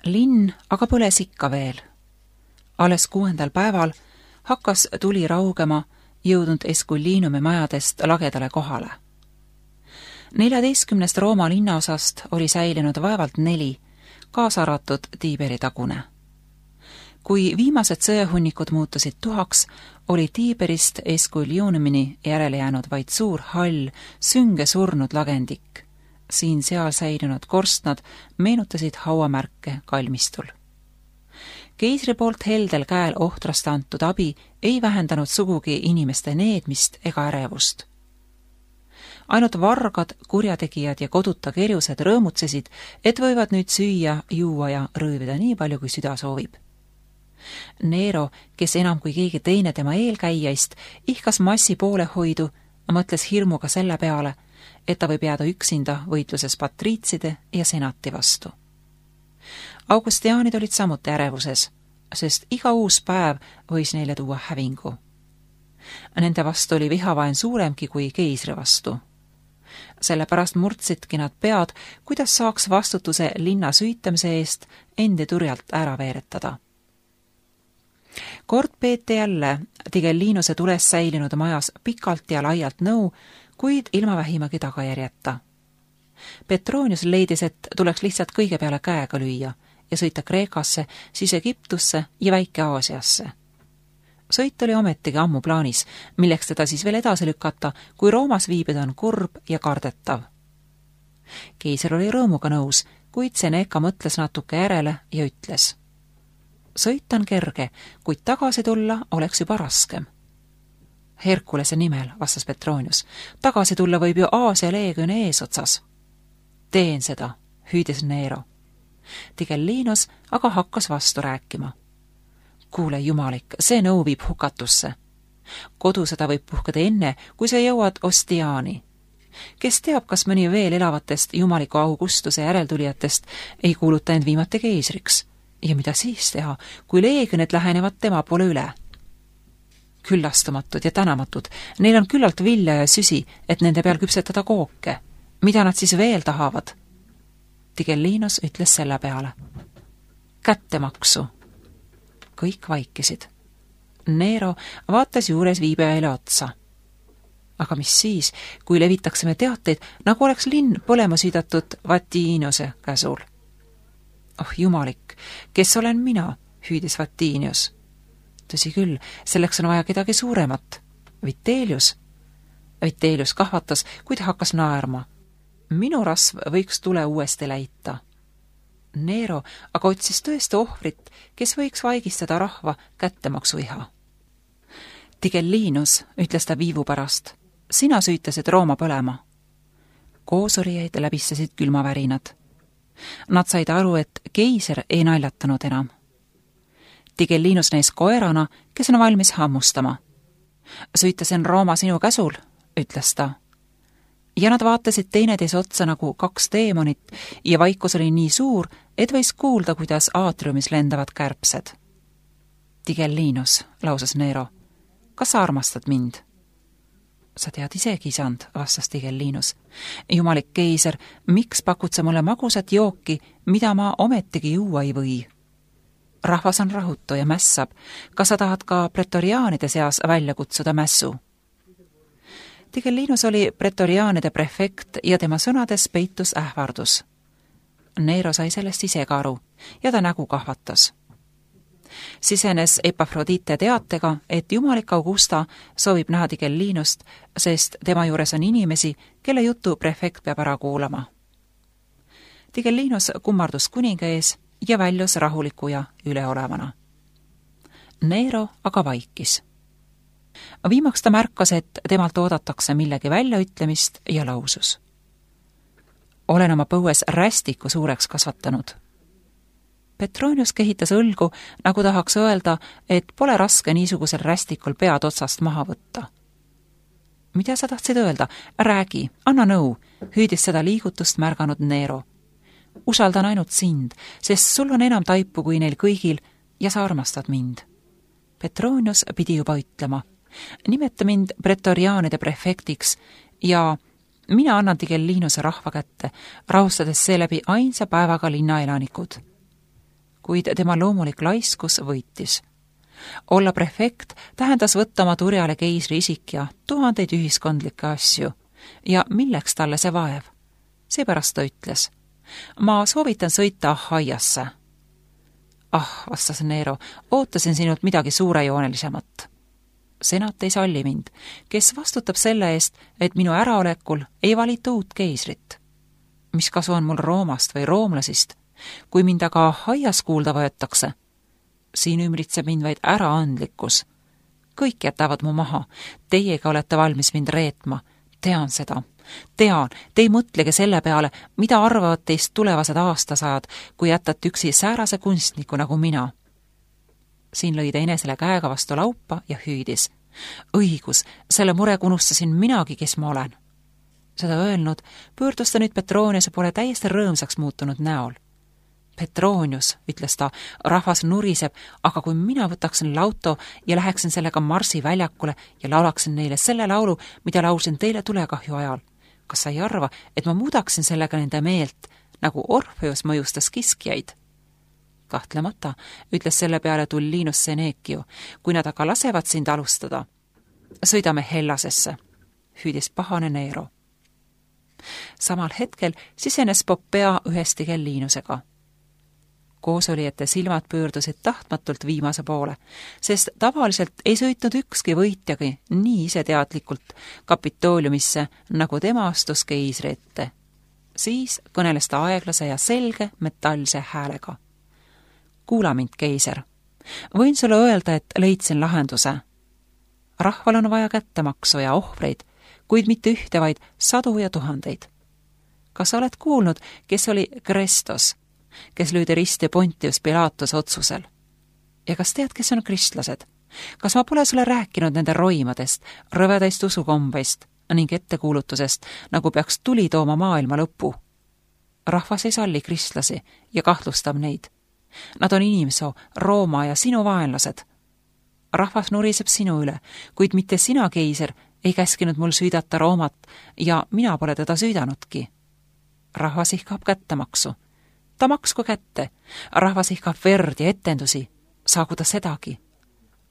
Linn aga põles ikka veel. Alles 6. päeval hakkas tuli raugema jõudnud Escullinumi majadest lagedale kohale. 14 Rooma linnaosast oli säilinud vaevalt 4, kaasa arvatud Tiiberi tagune. Kui viimased sõjahunnikud muutusid tuhaks, oli Tiiberist Escullinumini järele jäänud vaid suur hall, sünge surnud lagendik. Siin-seal säilinud korstnad meenutasid hauamärke kalmistul. Keisri poolt heldel käel ohtrast antud abi ei vähendanud sugugi inimeste needmist ega ärevust. Ainult vargad, kurjategijad ja koduta kerjused rõõmutsesid, et võivad nüüd süüa, juua ja rõõvida nii palju, kui süda soovib. Nero, kes enam kui keegi teine tema eelkäijaist, ihkas massi poolehoidu, mõtles hirmuga selle peale, et ta võib jääda üksinda võitluses patriitside ja senati vastu. Augustiaanid olid samuti ärevuses, sest iga uus päev võis neile tuua hävingu. Nende vastu oli vihavaen suuremgi kui keisri vastu. Sellepärast murdsidki nad pead, kuidas saaks vastutuse linna süütamise eest endi turjalt ära veeretada. Kord peeti jälle Tigellinuse tules säilinud majas pikalt ja laialt nõu, kuid ilma vähimagi tagajärjeta. Petronius leidis, et tuleks lihtsalt kõige peale käega lüüa ja sõita Kreekasse, siis Egiptusse ja Väike-Aasiasse. Sõit oli ometigi ammu plaanis, milleks teda siis veel edasi lükata, kui Roomas viibida on kurb ja kardetav. Keiser oli rõõmuga nõus, kuid Seneca mõtles natuke järele ja ütles: sõit on kerge, kuid tagasi tulla oleks juba raskem. Herkulese nimel, vastas Petronius, tagasi tulla võib ju Aasia leegioni eesotsas. Teen seda, hüüdis Nero. Tigellinus aga hakkas vastu rääkima. Kuule, jumalik, see nõu viib hukatusse. Kodusõda võib puhkeda enne, kui sa jõuad Ostiaani. Kes teab, kas mõni veel elavatest jumaliku Augustuse järeltulijatest ei kuuluta end viimati keisriks? Ja mida siis teha, kui leegionid lähenevad tema poole üle? Küllastumatud ja tänamatud, neil on küllalt vilja ja süsi, et nende peal küpsetada kooke. Mida nad siis veel tahavad? Tigellinus ütles selle peale: kättemaksu. Kõik vaikisid. Nero vaatas juures viibijaile otsa. Aga mis siis, kui levitaksime teateid, nagu oleks linn põlema süüdatud Vatiniuse käsul? Oh jumalik, kes olen mina, hüüdis Vatinius. Tõsi küll, selleks on vaja kedagi suuremat. Vitellius. Vitellius kahvatas, kuid hakkas naerma. Minu rasv võiks tule uuesti läita. Nero aga otsis tõesti ohvrit, kes võiks vaigistada rahva kättemaksuiha. Tigellinus, ütles ta viivu pärast, sina süütasid Rooma põlema. Koosolijaid läbistasid külmavärinad. Nad said aru, et keiser ei naljatanud enam. Tigellinus näis koerana, kes on valmis hammustama. Süütasin Rooma sinu käsul, ütles ta. Ja nad vaatasid teineteise otsa nagu 2 teemonit ja vaikus oli nii suur, et võis kuulda, kuidas aatriumis lendavad kärbsed. Tigellinus, lausus Nero, kas sa armastad mind? Sa tead isegi, isand, vastas Tigellinus. Jumalik keiser, miks pakud sa mulle magusat jooki, mida ma ometigi juua ei või? Rahvas on rahutu ja mässab. Kas sa tahad ka pretoriaanide seas välja kutsuda mässu? Tigellinus oli pretoriaanide prefekt ja tema sõnades peitus ähvardus. Nero sai sellest ise ka aru ja ta nägu kahvatas. Sisenes Epafrodite teatega, et jumalik Augusta soovib näha Tigellinust, sest tema juures on inimesi, kelle jutu prefekt peab ära kuulama. Tigellinus kummardus kuninga ees ja väljus rahuliku ja üleolevana. Nero aga vaikis. Viimaks ta märkas, et temalt oodatakse millegi väljaütlemist ja lausus. Olen oma põues rästiku suureks kasvatanud. Petronius kehitas õlgu, nagu tahaks öelda, et pole raske niisugusel rästikul pead otsast maha võtta. Mida sa tahtsid öelda? Räägi, anna nõu, hüüdis seda liigutust märganud Nero. Usaldan ainult sind, sest sul on enam taipu kui neil kõigil ja sa armastad mind. Petronius pidi juba ütlema. Nimeta mind pretoriaanide prefektiks ja mina annan Tigellinuse rahva kätte, rahustades seeläbi ainsa päevaga linnaelanikud. kuid tema loomulik laiskus võitis. Olla prefekt tähendas võtta oma turjale keisri isik ja tuhandeid ühiskondlikke asju. Ja milleks talle see vaev? Seepärast ta ütles: ma soovitan sõita Ahaiasse. Vastas Nero, ootasin sinult midagi suurejoonelisemat. Senat ei salli mind, kes vastutab selle eest, et minu äraolekul ei valita uut keisrit. Mis kasu on mul Roomast või roomlasist, kui mind aga Ahaias kuulda võetakse? Siin ümbritseb mind vaid äraandlikkus. Kõik jätavad mu maha, teiega olete valmis mind reetma. Tean seda. Tean, te ei mõtlegi selle peale, mida arvavad teist tulevased aastasajad, kui jätate üksi säärase kunstniku nagu mina. Siin lõi ta enesele käega vastu laupa ja hüüdis. Õigus, selle mure unustasin minagi, kes ma olen. Seda öelnud, pöördus ta nüüd Petroniuse poole täiesti rõõmsaks muutunud näol. Petronius, ütles ta, rahvas nuriseb, aga kui mina võtaksin lauto ja läheksin sellega Marsi väljakule ja laulaksin neile selle laulu, mida laulsin teile tulekahju ajal, kas sa ei arva, et ma muudaksin sellega nende meelt, nagu Orfeus mõjustas kiskjaid? Kahtlemata, ütles selle peale Tullinus Senecio, kui nad aga lasevad sind alustada. Sõidame Hellasesse, hüüdis pahane Nero. Samal hetkel sisenes Popea ühesti Gellinusega. Koosolijate silmad pöördusid tahtmatult viimase poole, sest tavaliselt ei sõitnud ükski võitjagi nii iseteadlikult Kapitooliumisse, nagu tema astus keisri ette. Siis kõneles ta aeglase ja selge metallse häälega. Kuula mind, keiser. Võin sulle öelda, et leidsin lahenduse. Rahval on vaja kättemaksu ja ohvreid, kuid mitte ühte, vaid 100 ja 1000. Kas sa oled kuulnud, kes oli Krestos, kes lüüdi risti Pontius Pilatus otsusel? Ja kas tead, kes on kristlased? Kas ma pole sulle rääkinud nende roimadest, rõvedaist usukombeist ning ettekuulutusest, nagu peaks tuli tooma maailma lõpu? Rahvas ei salli kristlasi ja kahtlustab neid. Nad on inimsoo, Rooma ja sinu vaenlased. Rahvas nuriseb sinu üle, kuid mitte sina, keiser, ei käskinud mul süüdata Roomat ja mina pole teda süüdanudki. Rahvas ihkab kättemaksu. Ta maksku kätte. Rahvas ihkab verd ja etendusi. Saagu ta sedagi.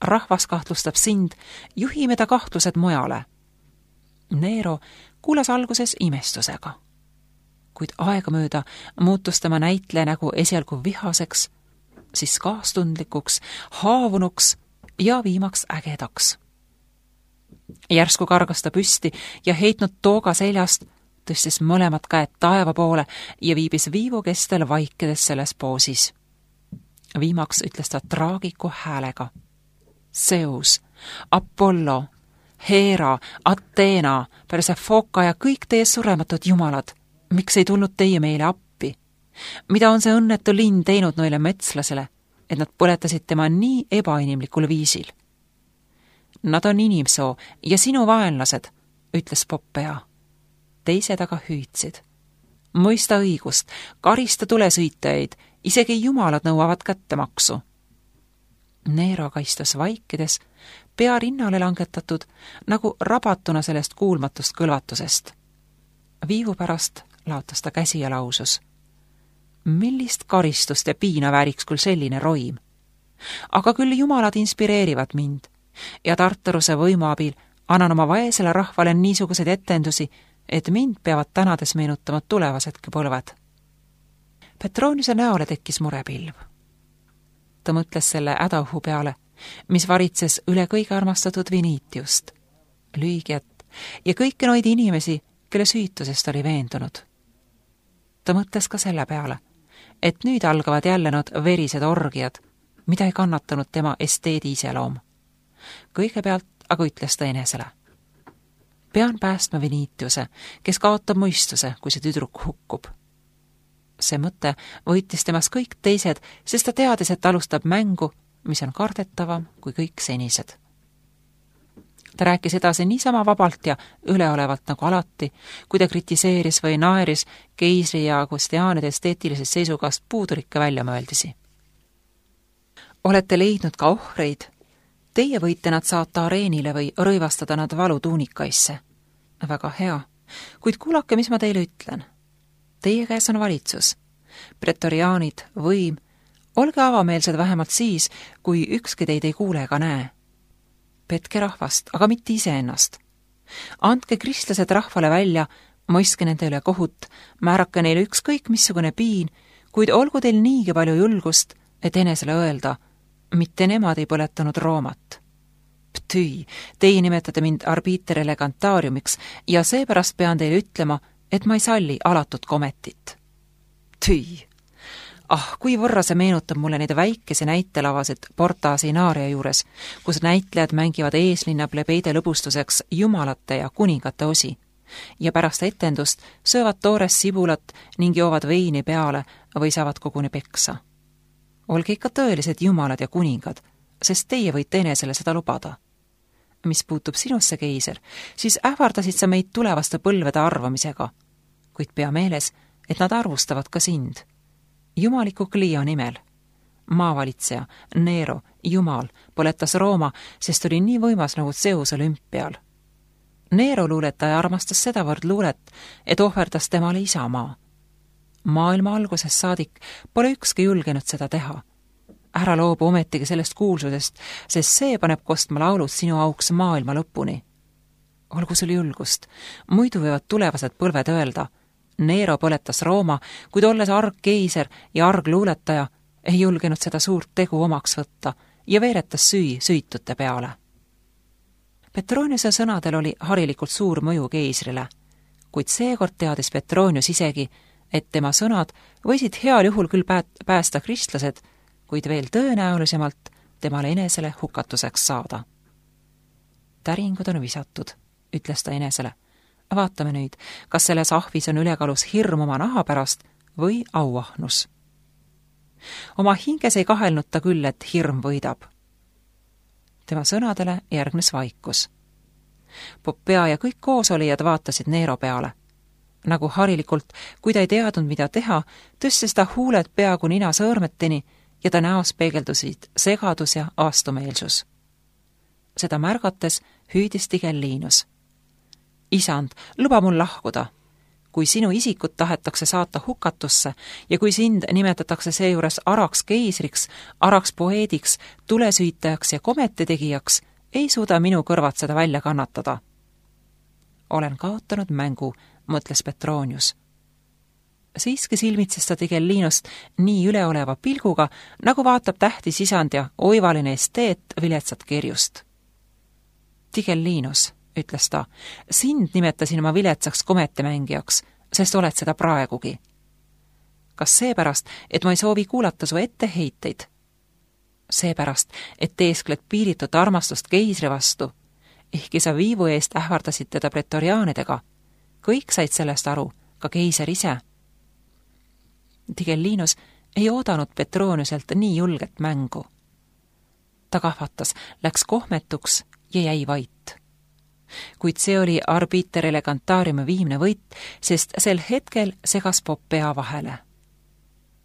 Rahvas kahtlustab sind, juhime ta kahtlused mujale. Nero kuulas alguses imestusega. Kuid aegamööda muutus tema näitleja nägu esialgu vihaseks, siis kaastundlikuks, haavunuks ja viimaks ägedaks. Järsku kargas ta püsti ja heitnud tooga seljast, tõstis mõlemad käed taeva poole ja viibis viivu kestel vaikides selles poosis. Viimaks ütles ta traagiku häälega. Zeus, Apollo, Hera, Athena, Persefoka ja kõik teie surematud jumalad, miks ei tulnud teie meile appi? Mida on see õnnetu linn teinud noile metslasele, et nad põletasid tema nii ebainimlikul viisil? Nad on inimsoo ja sinu vaenlased, ütles Popea. Teised aga hüüdsid. Mõista õigust, karista tulesõitajaid, isegi jumalad nõuavad kättemaksu. Nero kaistus vaikides, pea rinnale langetatud, nagu rabatuna sellest kuulmatust kõlvatusest. Viivu pärast laotas ta käsi ja lausus. Millist karistust ja piina vääriks küll selline roim? Aga küll jumalad inspireerivad mind ja Tartaruse võimu abil annan oma vaesele rahvale niisuguseid etendusi, et mind peavad tänades meenutama tulevasedki põlved. Petroniuse näole tekkis murepilv. Ta mõtles selle hädaohu peale, mis varitses üle kõige armastatud Vinitiust, Lüügiat ja kõiki noid inimesi, kelle süütusest oli veendunud. Ta mõtles ka selle peale, et nüüd algavad jälle nad verised orgiad, mida ei kannatanud tema esteedi iseloom. Kõigepealt aga ütles ta enesele. Pean päästma Vinitiuse, kes kaotab mõistuse, kui see tüdruk hukkub. See mõte võitis temas kõik teised, sest ta teadis, et alustab mängu, mis on kardetavam kui kõik senised. Ta rääkis edasi niisama vabalt ja üleolevalt nagu alati, kui ta kritiseeris või naeris keisri ja Augustianide esteetilisest seisukast puudulikke väljamõeldisi. Olete leidnud ka ohvreid? Teie võite nad saata areenile või rõivastada nad valutuunikaisse. Väga hea, kuid kuulake, mis ma teile ütlen. Teie käes on valitsus, pretoriaanid, võim, Olge avameelsed vähemalt siis, kui ükski teid ei kuule ega näe. Petke rahvast, aga mitte iseennast. Andke kristlased rahvale välja, mõistke nende üle kohut, määrake neile ükskõik missugune piin, kuid olgu teil niigi palju julgust, et enesele öelda, mitte nemad ei põletanud Roomat. Ptüi, teie nimetate mind arbiter elegantariumiks ja seepärast pean teile ütlema, et ma ei salli alatut kometit. Tüi! Kui võrra see meenutab mulle neid väikese näitelavasid Porta Sinaria juures, kus näitlejad mängivad eeslinna plebeide lõbustuseks jumalate ja kuningate osi ja pärast etendust söövad toores sibulat ning joovad veini peale või saavad koguni peksa. Olge ikka tõelised jumalad ja kuningad, sest teie võite enesele seda lubada. Mis puutub sinusse, keiser, siis ähvardasid sa meid tulevaste põlvede arvamisega, kuid pea meeles, et nad arvustavad ka sind. Jumaliku Clio nimel. Maavalitseja, Nero, Jumal, põletas Rooma, sest oli nii võimas nagu Zeus olümpial. Nero luuletaja armastas sedavõrd luulet, et ohverdas temale isamaa. Maailma algusest saadik pole ükski julgenud seda teha. Ära loobu ometigi sellest kuulsusest, sest see paneb kostma laulud sinu auks maailma lõpuni. Olgu sul julgust, muidu võivad tulevased põlved öelda, Nero põletas Rooma, kuid olles arg keiser ja arg luuletaja, ei julgenud seda suurt tegu omaks võtta ja veeretas süütute peale. Petroniuse sõnadel oli harilikult suur mõju keisrile, kuid seekord teadis Petronius isegi, et tema sõnad võisid heal juhul küll päästa kristlased, kuid veel tõenäolisemalt temale enesele hukatuseks saada. Täringud on visatud, ütles ta enesele. Vaatame nüüd, kas selles ahvis on ülekaalus hirm oma naha pärast või auahnus. Oma hinges ei kahelnud ta küll, et hirm võidab. Tema sõnadele järgnes vaikus. Poppea ja kõik koosolijad vaatasid Nero peale. Nagu harilikult, kui ta ei teadnud, mida teha, tõstis ta huuled peaaegu nina sõõrmeteni ja ta näos peegeldusid segadus ja vastumeelsus. Seda märgates hüüdis Tigellinus. Isand, luba mul lahkuda. Kui sinu isikut tahetakse saata hukatusse ja kui sind nimetatakse seejuures araks keisriks, araks poeediks, tulesüütajaks ja kometitegijaks, ei suuda minu kõrvad seda välja kannatada. Olen kaotanud mängu, mõtles Petronius. Siiski silmitses ta Tigellinust nii üleoleva pilguga, nagu vaatab tähtis isand ja oivaline esteet viletsat kirjust. Tigellinus, ütles ta, sind nimetasin ma viletsaks kometimängijaks, sest oled seda praegugi. Kas seepärast, et ma ei soovi kuulata su etteheiteid? Seepärast, et teeskled piiritut armastust keisri vastu, ehkki sa viivu eest ähvardasid teda pretoriaanidega. Kõik said sellest aru, ka keiser ise. Tigellinus ei oodanud Petroniuselt nii julget mängu. Ta kahvatas, läks kohmetuks ja jäi vait. Kuid see oli arbiter elegantariumi viimne võit, sest sel hetkel segas Poppea vahele.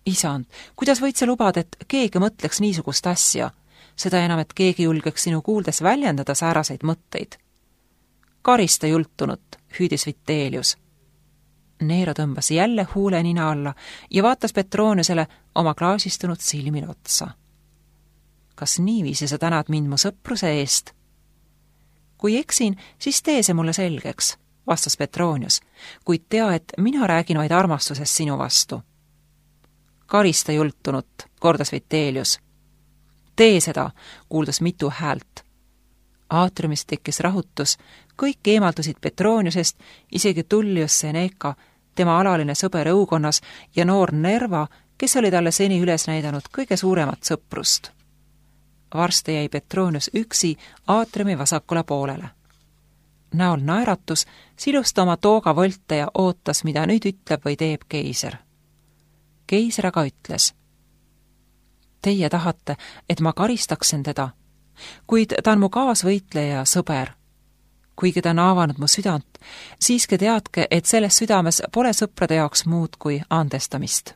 Isand, kuidas võid sa lubada, et keegi mõtleks niisugust asja, seda enam, et keegi julgeks sinu kuuldes väljendada sääraseid mõtteid? Karista jultunut, hüüdis Vitellius. Nero tõmbas jälle huule nina alla ja vaatas Petroniusele oma klaasistunud silmil otsa. Kas niiviisi sa tänad mind mu sõpruse eest? Kui eksin, siis tee see mulle selgeks, vastas Petronius, kuid tea, et mina räägin vaid armastusest sinu vastu. Karista jultunut, kordas Vitellius. Tee seda, kuuldus mitu häält. Aatriumist tekkis rahutus, kõik eemaldusid Petroniusest, isegi Tullius Seneca, tema alaline sõber õukonnas ja noor Nerva, kes oli talle seni üles näidanud kõige suuremat sõprust. Varsti jäi Petronius üksi aatriumi vasakule poolele. Näol naeratus, silus ta oma tooga volte ja ootas, mida nüüd ütleb või teeb keiser. Keiser aga ütles. Teie tahate, et ma karistaksin teda, kuid ta on mu kaasvõitleja ja sõber. Kuigi ta on avanud mu südant, siiski teadke, et selles südames pole sõprade jaoks muud kui andestamist.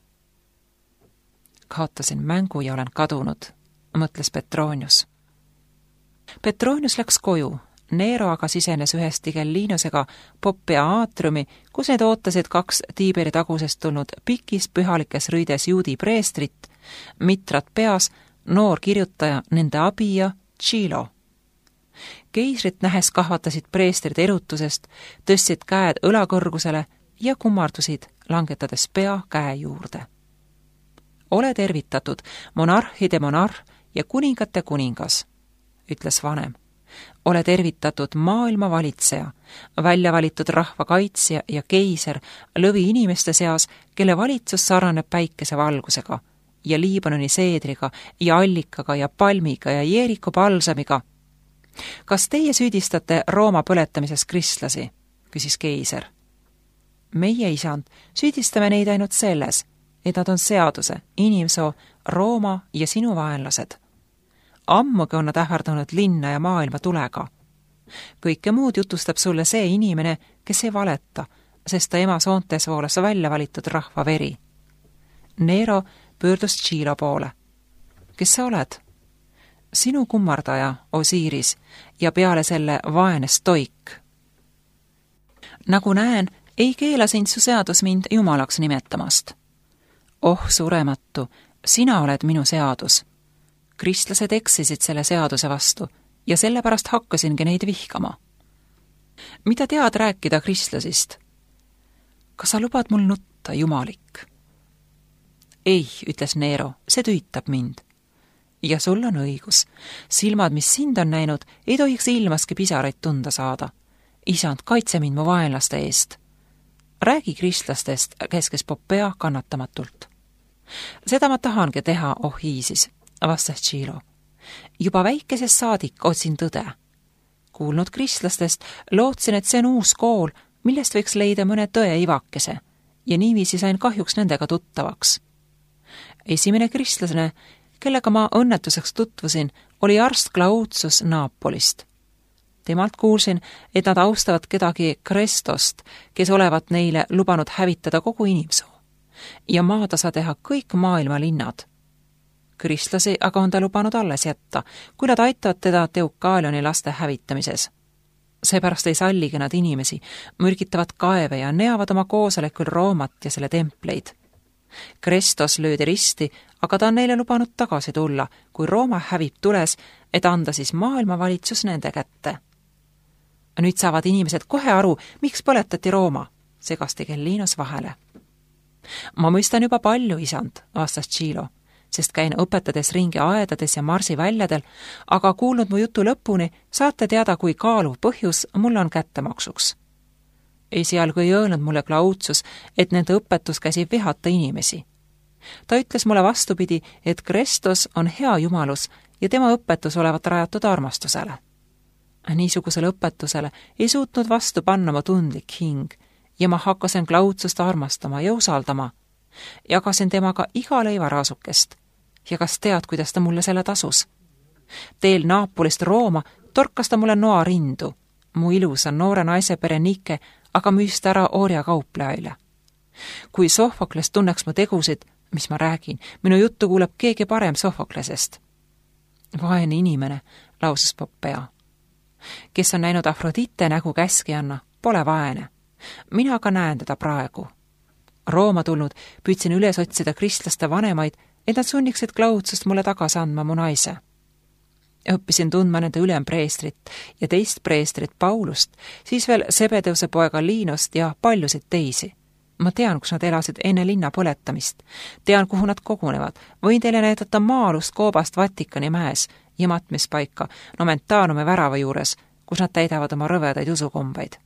Kaotasin mängu ja olen kadunud, mõtles Petronius. Petronius läks koju, Nero aga sisenes ühest Tigellinusega Poppea aatriumi, kus need ootasid 2 Tiiberi tagusest tulnud pikis pühalikes rõides juudi preestrit Mitrat peas noor kirjutaja nende abija Tšilo. Keisrit nähes kahvatasid preestrid erutusest, tõstsid käed õlakõrgusele ja kummardusid, langetades pea käe juurde. Ole tervitatud, monarhide monarh ja kuningate kuningas, ütles vanem. Ole tervitatud, maailma valitseja, välja valitud rahva kaitsja ja keiser lõvi inimeste seas, kelle valitsus sarnaneb päikese valgusega ja Liibanoni seedriga ja allikaga ja palmiga ja Jeeriku palsamiga. Kas teie süüdistate Rooma põletamises kristlasi? Küsis keiser. Meie, isand, süüdistame neid ainult selles, et nad on seaduse, inimsoo, Rooma ja sinu vaenlased. Ammugi on nad ähvardanud linna ja maailma tulega. Kõike muud jutustab sulle see inimene, kes ei valeta, sest ta ema soontes voolas välja valitud rahva veri. Nero pöördus Tšilo poole. Kes sa oled? Sinu kummardaja, Osiiris, ja peale selle vaene stoik. Nagu näen, ei keela sind su seadus mind jumalaks nimetamast. Oh, surematu, sina oled minu seadus. Kristlased eksisid selle seaduse vastu ja sellepärast hakkasingi neid vihkama. Mida tead rääkida kristlasist? Kas sa lubad mul nutta, jumalik? Ei, ütles Nero, see tüütab mind. Ja sul on õigus. Silmad, mis sind on näinud, ei tohiks ilmaski pisaraid tunda saada. Isand, kaitse mind mu vaenlaste eest. Räägi kristlastest, käskes Popea kannatamatult. Seda ma tahangi teha, oh Iisis, vastas Tšilo. Juba väikesest saadik otsin tõde. Kuulnud kristlastest, lootsin, et see on uus kool, millest võiks leida mõne tõe ivakese ja niiviisi sain kahjuks nendega tuttavaks. Esimene kristlasene, kellega ma õnnetuseks tutvusin, oli arst Claudius Naapolist. Temalt kuulsin, et nad austavad kedagi Krestost, kes olevat neile lubanud hävitada kogu inimsoo ja maatasa teha kõik maailma linnad. Kristlasi aga on ta lubanud alles jätta, kui nad aitavad teda Teukaalioni laste hävitamises. Seepärast ei salligi nad inimesi, mürgitavad kaeve ja neavad oma koosolekul Roomat ja selle templeid. Krestos löödi risti, aga ta on neile lubanud tagasi tulla, kui Rooma hävib tules, et anda siis maailmavalitsus nende kätte. Nüüd saavad inimesed kohe aru, miks põletati Rooma, segasti Gellinos vahele. Ma mõistan juba palju, isand, vastas Tšilo, sest käin õpetades ringi aedades ja marsiväljadel, aga kuulnud mu jutu lõpuni, saate teada, kui kaaluv põhjus mul on kättemaksuks. Esialgu ei öelnud mulle Claudius, et nende õpetus käsib vihata inimesi. Ta ütles mulle vastupidi, et Kristus on hea jumalus ja tema õpetus olevat rajatud armastusele. Niisugusele õpetusele ei suutnud vastu panna mu tundlik hing ja ma hakkasin Claudiust armastama ja usaldama. Jagasin temaga iga leivaraasukest. Ja kas tead, kuidas ta mulle selle tasus? Teel Naapolist Rooma torkas ta mulle noa rindu. Mu ilusa noore naise Berenike aga müüst ära orjakauplejale. Kui Sohvokles tunneks mu tegusid, mis ma räägin, minu juttu kuuleb keegi parem Sohvoklesest. Vaene inimene, lausus Popea. Kes on näinud Afrodite nägu käskijanna, pole vaene. Mina aga näen teda praegu. Rooma tulnud püüdsin üles otsida kristlaste vanemaid, et nad sunniksid Claudiust mulle tagasi andma mu naise. Õppisin tundma nende ülempreestrit ja teist preestrit Paulust, siis veel Sebedeuse poega Liinost ja paljusid teisi. Ma tean, kus nad elasid enne linna põletamist. Tean, kuhu nad kogunevad. Võin teile näidata maalust koobast Vatikani mäes ja matmispaika Nomentaanume värava juures, kus nad täidavad oma rõvedaid usukombeid.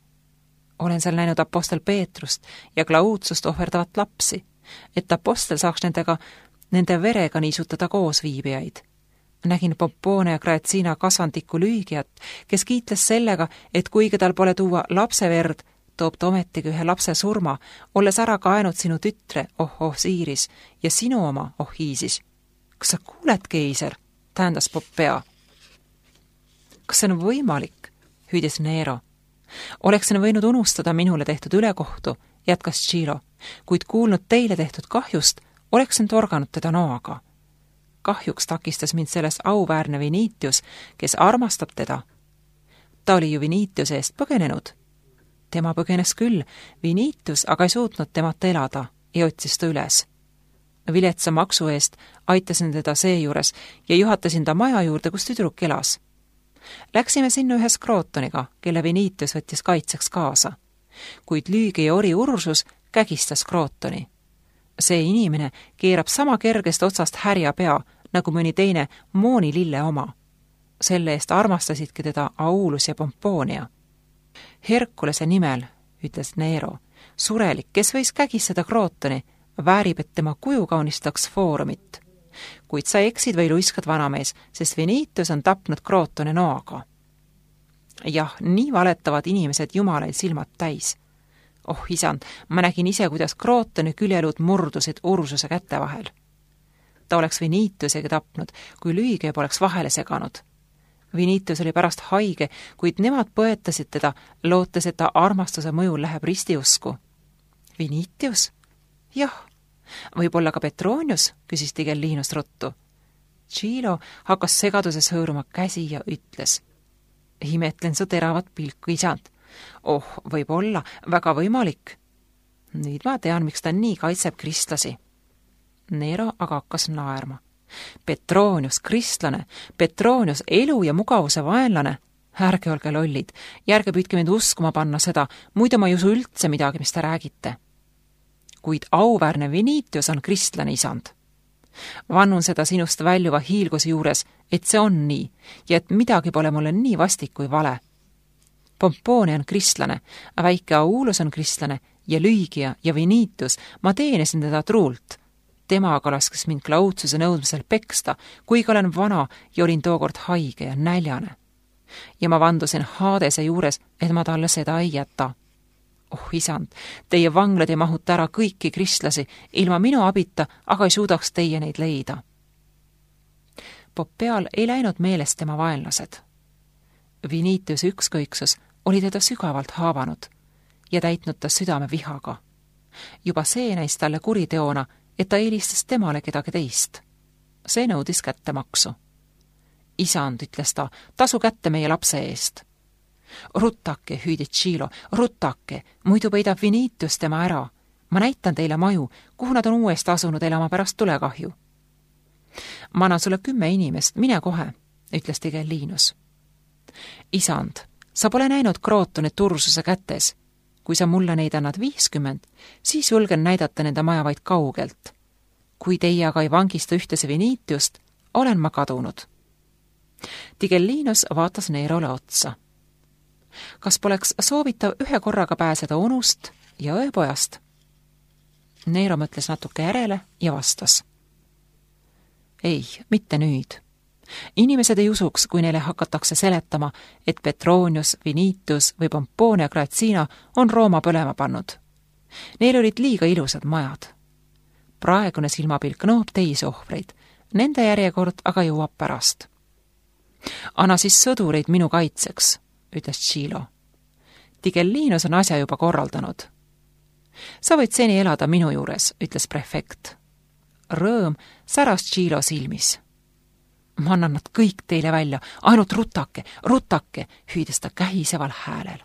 Olen seal näinud apostel Peetrust ja Claudiust ohverdavat lapsi, et apostel saaks nende verega niisutada koos viibijaid. Nägin Pompone ja Graetsiina kasvandiku Lüügiat, kes kiitles sellega, et kuigi tal pole tuua lapse verd, toob ta ometigi ühe lapse surma, olles ära kaenud sinu tütre, oh Siiris, ja sinu oma, oh Iisis. Kas sa kuuled, keiser? Tähendas Popea. Kas see on võimalik? Hüüdis Nero. Oleksin võinud unustada minule tehtud ülekohtu, jätkas Tšilo, kuid kuulnud teile tehtud kahjust, oleksin torganud teda noaga. Kahjuks takistas mind selles auväärne Vinitius, kes armastab teda. Ta oli ju Vinitiuse eest põgenenud. Tema põgenes küll, Vinitius aga ei suutnud temata elada ja otsis ta üles. Viletsa maksu eest aitasin teda seejuures ja juhatasin ta maja juurde, kus tüdruk elas. Läksime sinna ühes Krootoniga, kelle Viniitius võttis kaitseks kaasa. Kuid lüügi ja ori Ursus kägistas Krootoni. See inimene keerab sama kergest otsast härja pea, nagu mõni teine Mooni lille oma. Selle eest armastasidki teda Aulus ja Pompoonia. Herkulese nimel, ütles Nero, surelik, kes võis kägistada Krootoni, väärib, et tema kuju kaunistaks foorumit. Kuid sa eksid või luiskad vanamees, sest Viniitius on tapnud Krootoni noaga. Jah, nii valetavad inimesed jumalaid silmad täis. Oh isand, ma nägin ise, kuidas Krootoni küljelud murdusid Ursuse käte vahel. Ta oleks Viniitiusega tapnud, kui lüüge poleks vahele seganud. Viniitius oli pärast haige, kuid nemad põetasid teda, lootes, et ta armastuse mõjul läheb ristiusku. Viniitius? Jah. Võib-olla ka Petronius, küsis Tigellinus ruttu. Chilo hakkas segaduses hõõruma käsi ja ütles. Imetlen su teravat pilku, isand. Oh, võib-olla, väga võimalik. Nüüd ma tean, miks ta nii kaitseb kristlasi. Nero aga hakkas naerma. Petronius, kristlane, Petronius, elu ja mugavuse vaenlane. Ärge olge lollid, järge püüdke mind uskuma panna seda, muidu ma ei usu üldse midagi, mis te räägite. Kuid auväärne Viniitius on kristlane, isand. Vannun seda sinust väljuva hiilguse juures, et see on nii ja et midagi pole mulle nii vastik kui vale. Pompoonia on kristlane, väike Aulus on kristlane ja Lüügia ja Viniitius, ma teenesin teda truult. Tema aga laskes mind Klaudsuse nõudmisel peksta, kuigi olen vana ja olin tookord haige ja näljane. Ja ma vandusin Hadese juures, et ma talle seda ei jäta. Oh isand, teie vanglad ei mahuta ära kõiki kristlasi, ilma minu abita, aga ei suudaks teie neid leida. Poppeal ei läinud meelest tema vaenlased. Viniitius ükskõiksus oli teda sügavalt haavanud ja täitnud ta südame vihaga. Juba see näis talle kuriteona, et ta eelistas temale kedagi teist. See nõudis kättemaksu. Isand, ütles ta, tasu kätte meie lapse eest. Ruttake, hüüdis Chilo, ruttake, muidu peidab Viniitius tema ära. Ma näitan teile maju, kuhu nad on uuest asunud elama pärast tulekahju. Ma annan sulle 10 inimest, mine kohe, ütles Tigellinus. Isand, sa pole näinud Krootonit Ursuse kätes. Kui sa mulle neid annad 50, siis julgen näidata nende maja vaid kaugelt. Kui teie aga ei vangista ühtese Viniitiust, olen ma kadunud. Tigellinus vaatas Nerole otsa. Kas poleks soovitav ühe korraga pääseda unust ja ööpojast? Nero mõtles natuke järele ja vastas. Ei, mitte nüüd. Inimesed ei usuks, kui neile hakatakse seletama, et Petronius, Viniitius või Pompoonia Gratsina on Rooma põlema pannud. Neil olid liiga ilusad majad. Praegune silmapilk nõuab teisi ohvreid, nende järjekord aga jõuab pärast. Anna siis sõdureid minu kaitseks, ütles Chilo. Tigellinus on asja juba korraldanud. Sa võid seni elada minu juures, ütles prefekt. Rõõm säras Chilo silmis. Ma annan nad kõik teile välja, ainult rutake, rutake, hüüdes ta kähiseval häälel.